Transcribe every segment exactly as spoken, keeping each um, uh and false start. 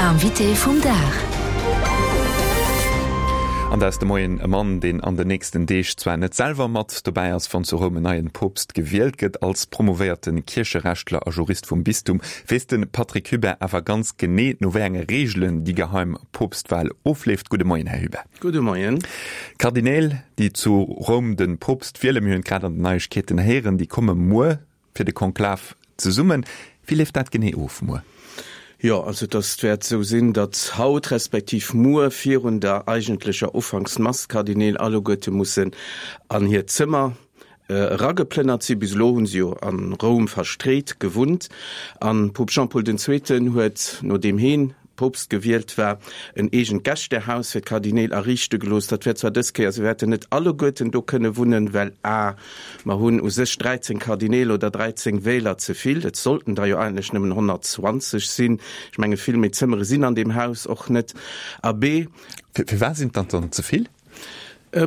Invité vum Dag. An dat ass de Moien e Mann, deen an den nächsten Deeg zwar net selwer mat dobäi ass, wann zu Roum en neien Poopst gewielt gëtt. Als promovéierte Kiercherechtler a Jurist vum Bistum weess de Patrick Hubert awer ganz genee, no wéi enge Reegelen déi geheim Poopstwal ofleeft. Gudde Moien, Här Hubert. Gudde Moien. D'Kardineel, déi zu Roum de Poopst wielen, mir hunn et grad an den Neiegkeeten héieren, déi komme muer fir de Konklav zesummen. Wéi leeft dat genee of muer? Jo, also dass wäert esou sinn, datt haut respektiv muer virun der eigentlecher Ufanksmass d'Kardineel alleguerte mussen an hiert Zëmmer erageplënnert sinn. Bis elo hu se jo a Roum verstreet gewunnt an Poopst Jean-Paul den Zweeten huet, nodeem heen Poopst gewielt war, en eegent Gästehaus fir d'Kardineel ariichte gelooss. Dat wäert zwar dës Kéier, se wäerten net alleguerten do kënne wunnen, well a mer hunn u sech dräizéng Kardineel oder dräizéng Wähler ze vill, et sollten der jo eigentlech nëmmen honnertzwanzeg sinn, ech menge vill méi Zëmmere sinn an deem Haus och net, a b. Firwat sinn et dann ze vill?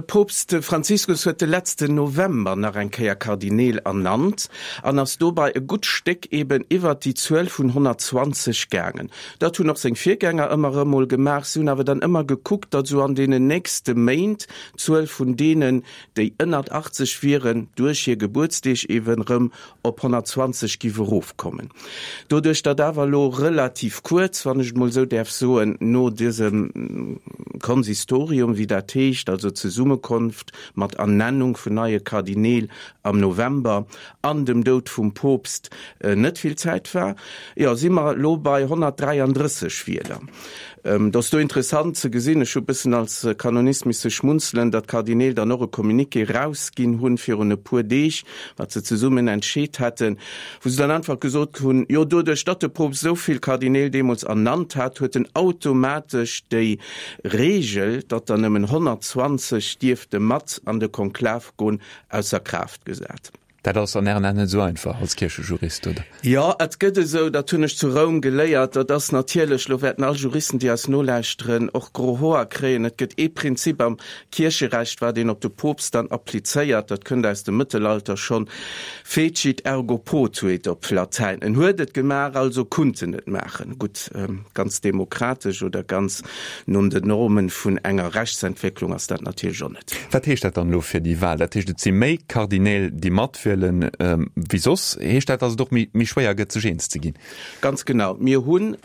Poopst Franziskus huet de letzten November nach eng Kéier Kardineel ernannt an ass dobei e gutt Stéck eben iwwert déi Zuel vun honnertzwanzeg gaangen. Dat hunn och seng Virgänger ëmmer erëm mol gemaach. Si hunn awer dann ëmmer gekuckt, datt esou an deenen nächste Méint d'Zuel vun deenen, déi ënnert achtzeg wieren, duerch hir Gebuertsdeeg eben erëm op honnertzwanzeg giff erofkommen. Doduerch datt awer elo relativ kuerz, wann ech et mol esou däerf soen, no dësem Konsistorium, wéi dat heescht, also Zesummekonft mat Ernennung vun neie Kardineel am November an dem Doud vum Poopst net vill Zäit war, jo, si mer elo bei honnertdräiandrësseg Wieler. Et ass do interessant ze gesinn, ech hu bëssen als Kanonist misse schmunzelen, datt d'Kardineel dann och e Communiqué erausginn hunn virun e puer Deeg, wat se zesummen entscheet hätten, wou se dann einfach gesot hunn, jo doduerch datt de Poopst esou vill Kardineel deemools ernannt hat, huet en automatesch déi Reegel, datt der nëmmen honnertzwanzeg dierfte mat an de Konklav goen, ausser Kraaft gesat. Dat ass an Ären Aen net esou einfach als Kierchejurist, oder? Jo, et gëtt esou, dat hunn ech zu Roum geléiert, dat ass natierlech, elo wäerten all Juristen, déi eis nolauschteren, och gro Hoer kréien, et gëtt ee Prinzip am Kiercherecht, wat een op de Poopst dann applizéiert, dat kënnt aus dem Mëttelalter schonn, fecit ergo potuit op Latäin, en huet et gemaach, also kunnt en et maachen. Gutt, ganz demokratesch oder ganz no den Normen vun enger Rechtsentwécklung ass dat natierlech och net. Wat heescht dat dann elo fir déi Wahl? Dat heescht, et si méi Kardinäl, déi matwielen wéi soss. Heescht dat, datt et och méi schwéier gëtt, sech eens ze ginn? Ganz genau. Mir hunn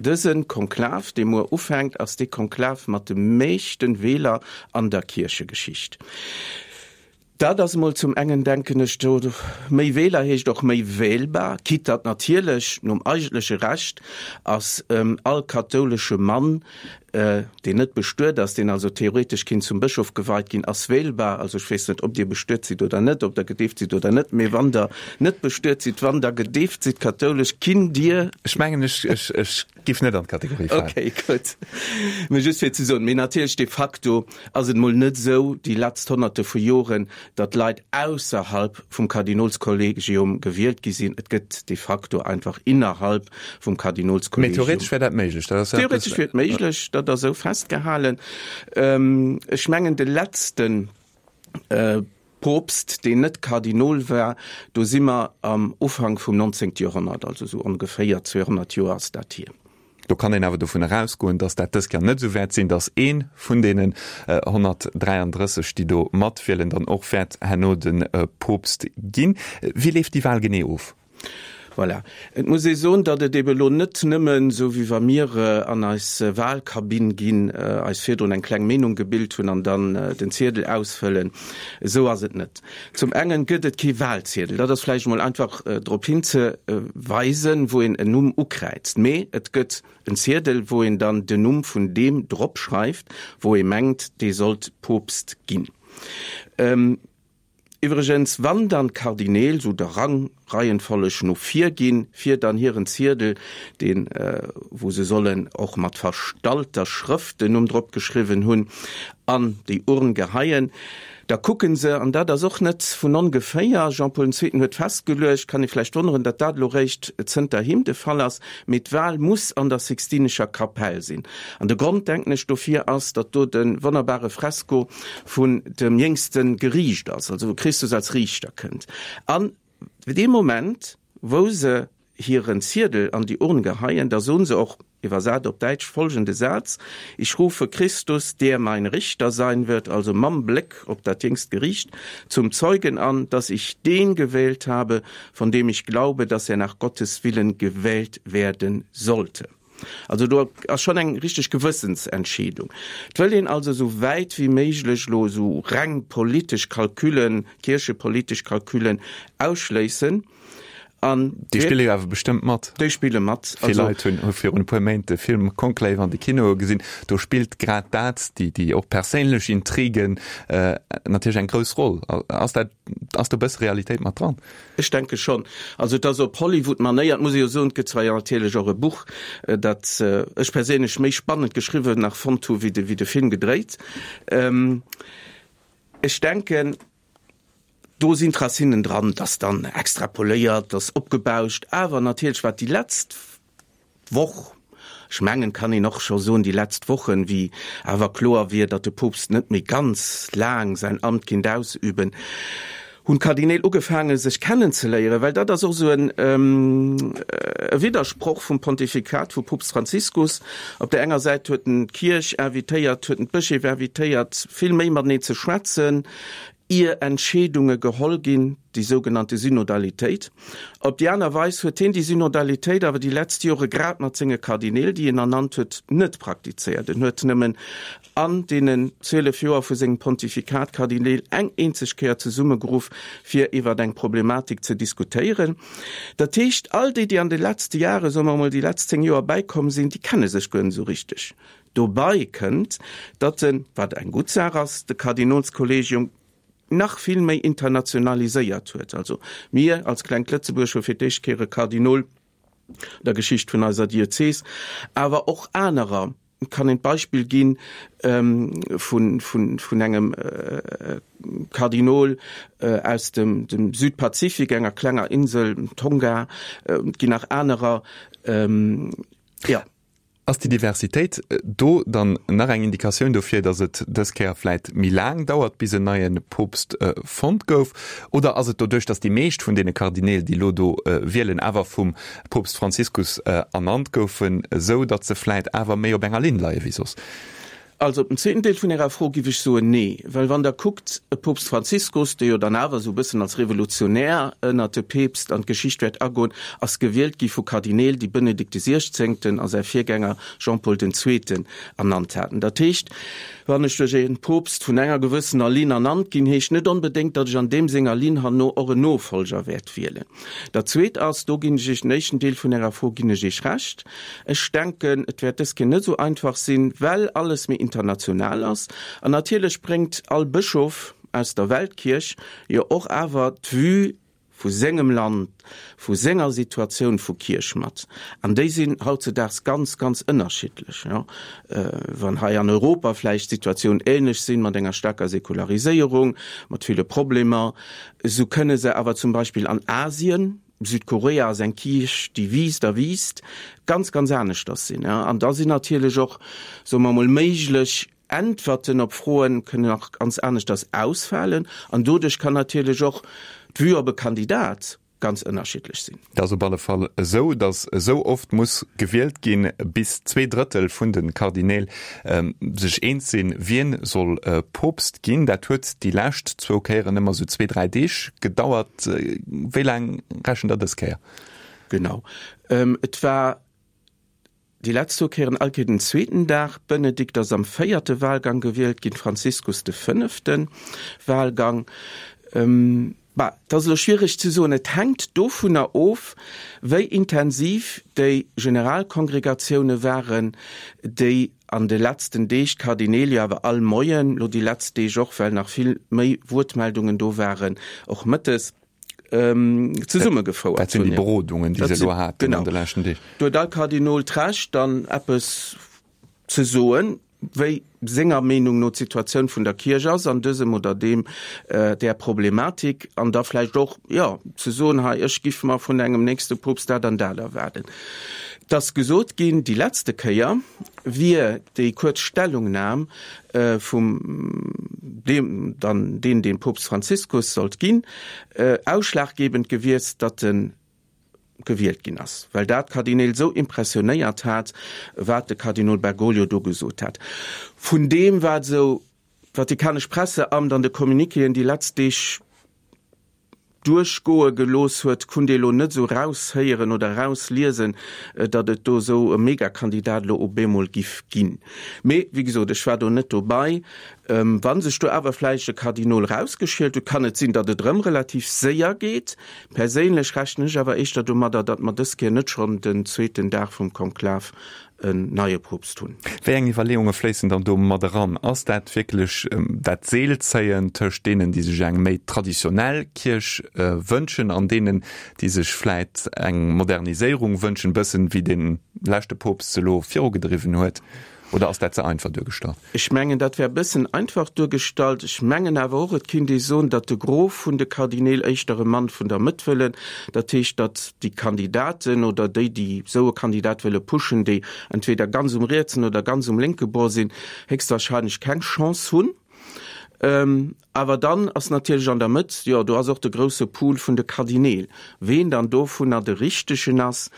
dëse Konklav, dee muer ufänkt, ass dee Konklav mat de meeschten Wieler an der Kierchegeschicht. Dat ass emol zum engen, denken ech, do méi Wieler heescht och méi wählbar, quitte datt natierlech nom eigentleche Recht ass all kathoulesche Mann, deen net bestuet ass, deen also theoretesch kinnt zum Bëschof geweit ginn, ass wählbar. Also ech weess net, ob Dir bestuet sidd oder net, ob Der gedeeft sidd oder net, mee wann Der net bestuet sidd, wann Der gedeeft sidd kathoulesch, kinnt Dir. Ech mengen, ech, ech, ech giff net an d'Kategorie falen. Okay, gutt. Mee just fir ze soen, mee natierlech de facto ass et mol net esou, déi letzt Honnerte vu Joren, datt Leit ausserhalb vum Kardinolskollegium gewielt gi sinn. Et gëtt de facto einfach innerhalb vum Kardinolskollegium. Mee theoretesch wär dat méiglech. Dat ass ja Theoretesch wier et méiglech, dat ass esou festgehalen. Ech mengen de letzte Poopst, deen net Kardinol war, do si mer am Ufank vum nonzéngte Joerhonnert, also esou ongeféier zweehonnert Joer ass dat hier. Do kann een awer dovunner ausgoen, datt dat dës Kéier net esou wäert sinn, datt ee vun deenen honnertdräiandrësseg, déi do matwielen, dann och wäert herno de Poopst ginn. Wéi leeft déi Wal genee of? Voilà. Et muss ee soen, datt et ebe elo net nëmmen, esou wéi wa mir an eis Wahlkabinn ginn, eis virdrun eng kleng Meenung gebilt hunn an dann den Ziedel ausfëllen. Esou ass et net. Zum engen gëtt et kee Wahlziedel, dat ass vläicht emol einfach drop hinzeweisen, wou een en Numm ukräizt, mee et gëtt en Ziedel, wou een dann den Numm vun deem drop schreift, wou ee mengt, dee sollt Poopst ginn. Iwwregens, wann dann d'Kardineel, sou der Rang Reihenfolleg no vir ginn, fir dann hiren Ziedel, deen, wou se sollen och mat verstallter Schrëft den Numm drop geschriwwen hunn, an déi Urn geheien, da kucken se, an dat ass och net vun ongeféier, Jean-Paul den Zweeten huet festgeluecht, kann ee vläicht wonneren, datt dat elo réischt zënter him de Fall ass, mee d'Wahl muss an der Sixtinescher Kapell sinn. An de Grond, denken ech, dofir ass, datt do de wonnerbare Fresko vun dem jéngste Geriicht ass, also wou Christus als Riichter kënnt. An dee Moment, wou se hiren Ziedel an déi Urn geheien, da soen se och, iwwersat op Däitsch, folgende Saz, Ich rufe Christus, der mein Richter sein wird, also mam Bléck op dat Jüngst Gericht, zum Zeugen an, dass ich den gewählt habe, von dem ich glaube, dass er nach Gottes Willen gewählt werden sollte. Also do ass schonn eng richteg Gewëssensentscheedung. Et wëll een also esou wäit wéi méiglech elo esou reng politesch Calculen, kierchepolitesch Calculen ausschléissen. An déi spille jo awer bestëmmt mat. Déi spille mat. Vill Leit hunn virun e puer Méint de Film Conclave an de Kinoe gesinn. Do spillt grad dat, déi, déi och perséinlech Intrigen, natierlech eng grouss Roll. Ass dat, ass do e bësse Realitéit mat dran? Ech denke schonn. Also et ass op Hollywood-Manéier, et muss ee jo soen, et gëtt zwar jo natierlech och e Buch, dat ech perséinlech méi spannend geschriwwen nach fonnt hu wéi de, wéi de Film gedréit. Ech denken, do sinn d'Racinen dran, et ass dann extrapoléiert, et ass opgebauscht, awer natierlech wat déi letzt Woch, ech mengen, kann een och scho soen, déi letzt Wochen, wéi awer kloer wier, datt de Poopst net méi ganz laang säin Amt kinnt ausüben, hunn d'Kardineel ugefaange sech kennenzeléieren, well dat ass och esou en e Widdersproch vum Pontifikat vu Poopst Franziskus. Op där enger Säit huet en d'Kierch invitéiert, huet en d'Bëscheef invitéiert, vill méi mateneen ze schwätzen, ier Entscheedunge geholl ginn, déi sougenannte Synodalitéit. Op déi aner Weis huet hien déi Synodalitéit awer déi letzt Jore grad mat senge Kardineel, déi en ernannt huet, net praktizéiert. En huet nëmmen an deenen zwielef Joer vu sengem Pontifikat d'Kardineel eng eenzeg Kéier zesummegeruff, fir iwwer eng Problematik ze diskutéieren. Dat heescht, all déi, déi an de letzte Jahre, soe mer emol déi letzt zéng Joer, bäikomm sinn, déi kenne sech guer net esou richteg. Dobei kënnt, datt en, wat eng gutt Saach ass, de Kardinolskollegium nach vill méi internationaliséiert huet. Also mir als klengt Lëtzebuerg hu fir d'éischt Kéier e Kardinol an der Geschicht vun eiser Diözes, awer och anerer. Et kann een d'Beispill gi vun engem Kardinol aus dem Südpazifik, enger klenger Insel, Tonga. Et ginn nach anerer. Jo. Ass déi Diversitéit do dann nach eng Indikatioun dofir, datt et dës Kéier vläit méi laang dauert, bis en neie Poopst fonnt gouf? Oder ass et doduerch, datt déi meescht vun deene Kardineel, déi elo do wielen, awer vum Poopst Franziskus ernannt goufen, esou datt se vläit awer méi op enger Linn leie wéi soss? Also op den zweeten Deel vun Ärer Fro giff ech soen, nee. Well wann Der kuckt, e Poopst Franziskus, dee jo dann awer esou e bëssen als Revolutionär ënnert de Peepst an d'Geschicht wäert agoen, ass gewielt gi vu Kardineel, déi Benedikt de Siechzéngten a säi Virgänger Jean-Paul den Zweeten ernannt haten. Dat heescht, wann ech duerch e Poopst vun enger gewëssener Linn ernannt ginn, heescht net onbedéngt, datt ech an deem senger Linn herno och en Nofolger wäert wielen. Dat Zweet ass, do ginn ech Iech, den éischten Deel vun Ärer Fro ginn ech Iech Recht, Ech denken, et wäert dës Kéier net esou einfach sinn, well alles méi international ass. An natierlech bréngt all Bëschof aus der Weltkierch jo och awer d'Vue vu sengem Land, vu senger Situatioun vu Kierch mat. An déi sinn hautzedaags ganz, ganz ënnerschiddlech. Jo, wann hei an Europa vläicht d'Situatioun ähnlech sinn, mat enger staarker Säkulariséierung, mat ville Problemer, esou kënne se awer zum Beispill an Asien, Südkorea ass eng Kierch, déi wiisst a wiisst, ganz, ganz aneschters sinn. An da sinn natierlech och, soe mer emol, méiglech Äntwerten op Froen kënnen och ganz aneschters ausfalen. An doduerch kann natierlech och d'Vue op e Kandidat ganz ënnerschiddlech sinn. Et ass op alle Fall esou, datt esou oft muss gewielt ginn, bis zwee Drëttel vun de Kardineel sech eens sinn, wien soll Poopst ginn. Dat huet déi lescht zwou Kéieren ëmmer esou zwee, dräi Deeg gedauert. Wéi laang rechent Der dës Kéier? Genau. Et war déi letzt zwou Kéieren all Kéier den zweeten Dag. Benedikt ass am véierte Wahlgang gewielt ginn, Franziskus de fënnefte Wahlgang. Bah, et ass elo schwiereg ze soen. Et hänkt dovunner of, wéi intensiv déi Generalkongregatioune waren, déi an de letzten Deeg, d'Kardineel jo awer all Moien, elo déi letzt Deeg och, well nach vill méi Wuertmeldungen do waren, och mëttes, zesummegefouert Dat sinn déi Berodungen, déi se elo haten an de leschten Deeg. Do huet all Kardinol d'Recht, dann eppes ze soen, wéi senger Meenung no d'Situatioun vun der Kierch ass an dësem oder deem, där Problematik, an da vläicht och, jo, ze soen, hei, ech giff mer vun engem nächste Poopst dat an dat erwaarden. Et ass gesot ginn, déi letzte Kéier wier déi kuerz Stellungnam vum deem dann deen, deen Poopst Franziskus sollt ginn, ausschlaggebend gewiesst, datt de gewielt ginn ass, well dat d'Kardineel esou impressionéiert hat, wat de Kardinol Bergoglio do gesot hat. Vun deem, wat esou d'vatikanesch Presseamt an de Communiquéen déi letzt Deeg duerchgoe gelooss huet, kunnt ee lo net esou raushéieren oder rausliesen, datt et do esou e Megakandidat elo op eemol giff ginn. Mee, wéi gesot, ech war do net dobei. Wa sech do awer vläicht e Kardinol rausgeschielt huet, kann et sinn, datt et erëm relativ séier geet. Perséinlech rechnen ech awer éischter domadder, datt mer dës Kéier net schonn den zweeten Dag vum Konklav en neie Poopst hunn. Wéi eng Iwwerleeunge fléissen dann do mat eran? Ass dat wierklech dat Seelzéien tëscht deenen, déi sech eng méi traditionell Kierch wënschen an deenen, déi sech vläit eng Moderniséierung wënschen, bëssen wéi de leschte Poopst se elo virugedriwwen huet? Oder ass dat ze einfach duergestallt? Ech mengen, dat wär e bëssen einfach duergestallt. Ech mengen awer och, et kinnt ee soen, datt de Gros vun de Kardineel éischter e Mann vun der Mëtt wëllen. Dat heescht, datt déi Kandidaten oder déi, déi esou e Kandidat wëlle pushen, déi entweder ganz um rietsen oder ganz um lénke Bord sinn, héchstwahrscheinlech keng Chance hunn. Awer dann ass natierlech an der Mëtt, jo, do ass och de grousse Pool vun de Kardineel. Ween dann dovunner de Richtegen ass,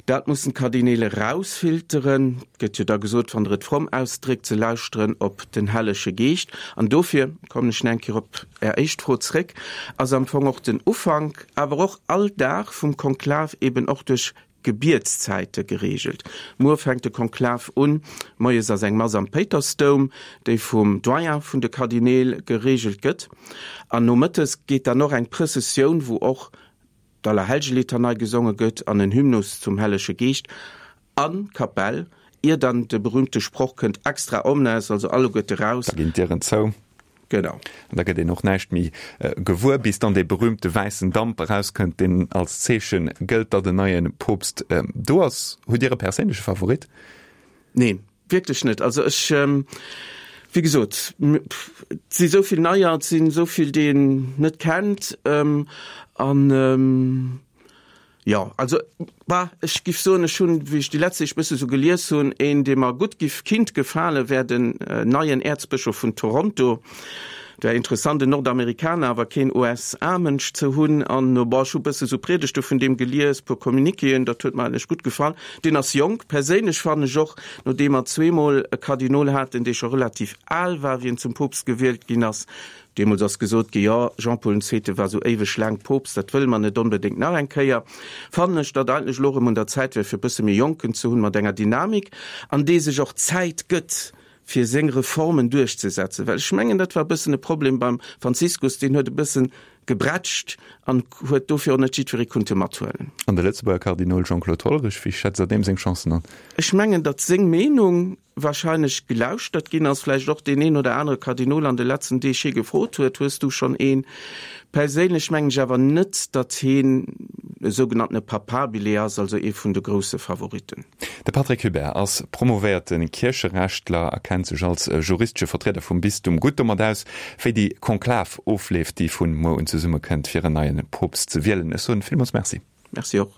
dat mussen d'Kardineel erausfilteren. Et gëtt jo da gesot, wann Der et fromm ausdréckt, se lauschteren op den Hellege Geescht. An dofir kommen ech nach eng Kéier op Är éischt Fro zréck, ass am Fong och den Ufank, awer och all Dag vum Konklav eben och duerch Gebietszäite gereegelt. Muer fänkt de Konklav un. Moies ass eng Mass am Péitersdoum, déi vum Doyen vun de Kardineel gereegelt gëtt. An nomëttes geet dann och eng Prëssessioun, wou och d'Allerhellgelitanei gesonge gëtt an en Hymnus zum Hellege Geescht an d'Kapell, ier dann de berühmte Sproch kënnt, Extra omnes, also alleguerte raus. Da ginn d'Dieren zou. Genau. An da gëtt een och näischt méi gewuer, bis dann dee berühmte wäissen Damp erauskënnt, deen als Zeeche gëllt, datt en neie Poopst do ass. Hutt Dir e perséinleche Favorit? Neen, wierklech net. Also ech, wéi gesot, et si sou vill Neier, et sinn esou vill, déi een net kennt. An jo, also bah, ech giff soen, ech hunn, wéi ech déi letzt Deeg bësse sou gelies hunn, een, dee mer gutt giff kinnt gefalen, wär den neien Äerzbëschof vun Toronto. Et wär interessant, en Nordamerikaner, awer keen U S A-Mënsch ze hunn. An bon, ech hu bësse sou Priedegte vun deem gelies, puer Communiquéen, dat huet mer eigentlech gutt gefall. Deen ass jonk. Perséinlech fannen ech och, nodeem mer zweemol e Kardinol haten, dee scho relativ al war, wéi en zum Poopst gewielt ginn ass, Deemools ass gesot gi, jo, Jean-Paul den Zweete war sou éiweg laang Poopst, dat wëlle mer net onbedéngt nach eng Kéier. Fannen ech, datt eigentlech elo erëm un der Zäit wär, fir e bësse méi Jonken ze hunn, mat enger Dynamik, an dee sech och Zäit gëtt, fir seng Reformen duerchzesetzen. Well ech mengen, dat war e bëssen e Problem beim Franziskus, deen huet e bëssen gebrätscht an huet dofir och net jiddweree kunnte mathuelen. An de Lëtzebuerger Kardinol Jean-Claude Hollerich, wéi schätzt Der deem seng Chancen an? Ech mengen, datt seng Meenung wahrscheinlech gelauschtert ginn ass, vläicht och deen een oder anere Kardinol an de letzten Deeg hie gefrot huet, Hues du schonn een? Perséinlech mengen ech awer net, datt hien e sougenanntene Papabile ass, also ee vun de grousse Favoritten. De Patrick Hubert ass promovéierte Kiercherechtler a kennt sech als juristesche Vertrieder vum Bistum gutt domat aus, wéi déi Konklav ofleeft, déi vun muer un zesummekënnt, fir en neie Poopst ze wielen. Ech soen villmools Merci. Merci och.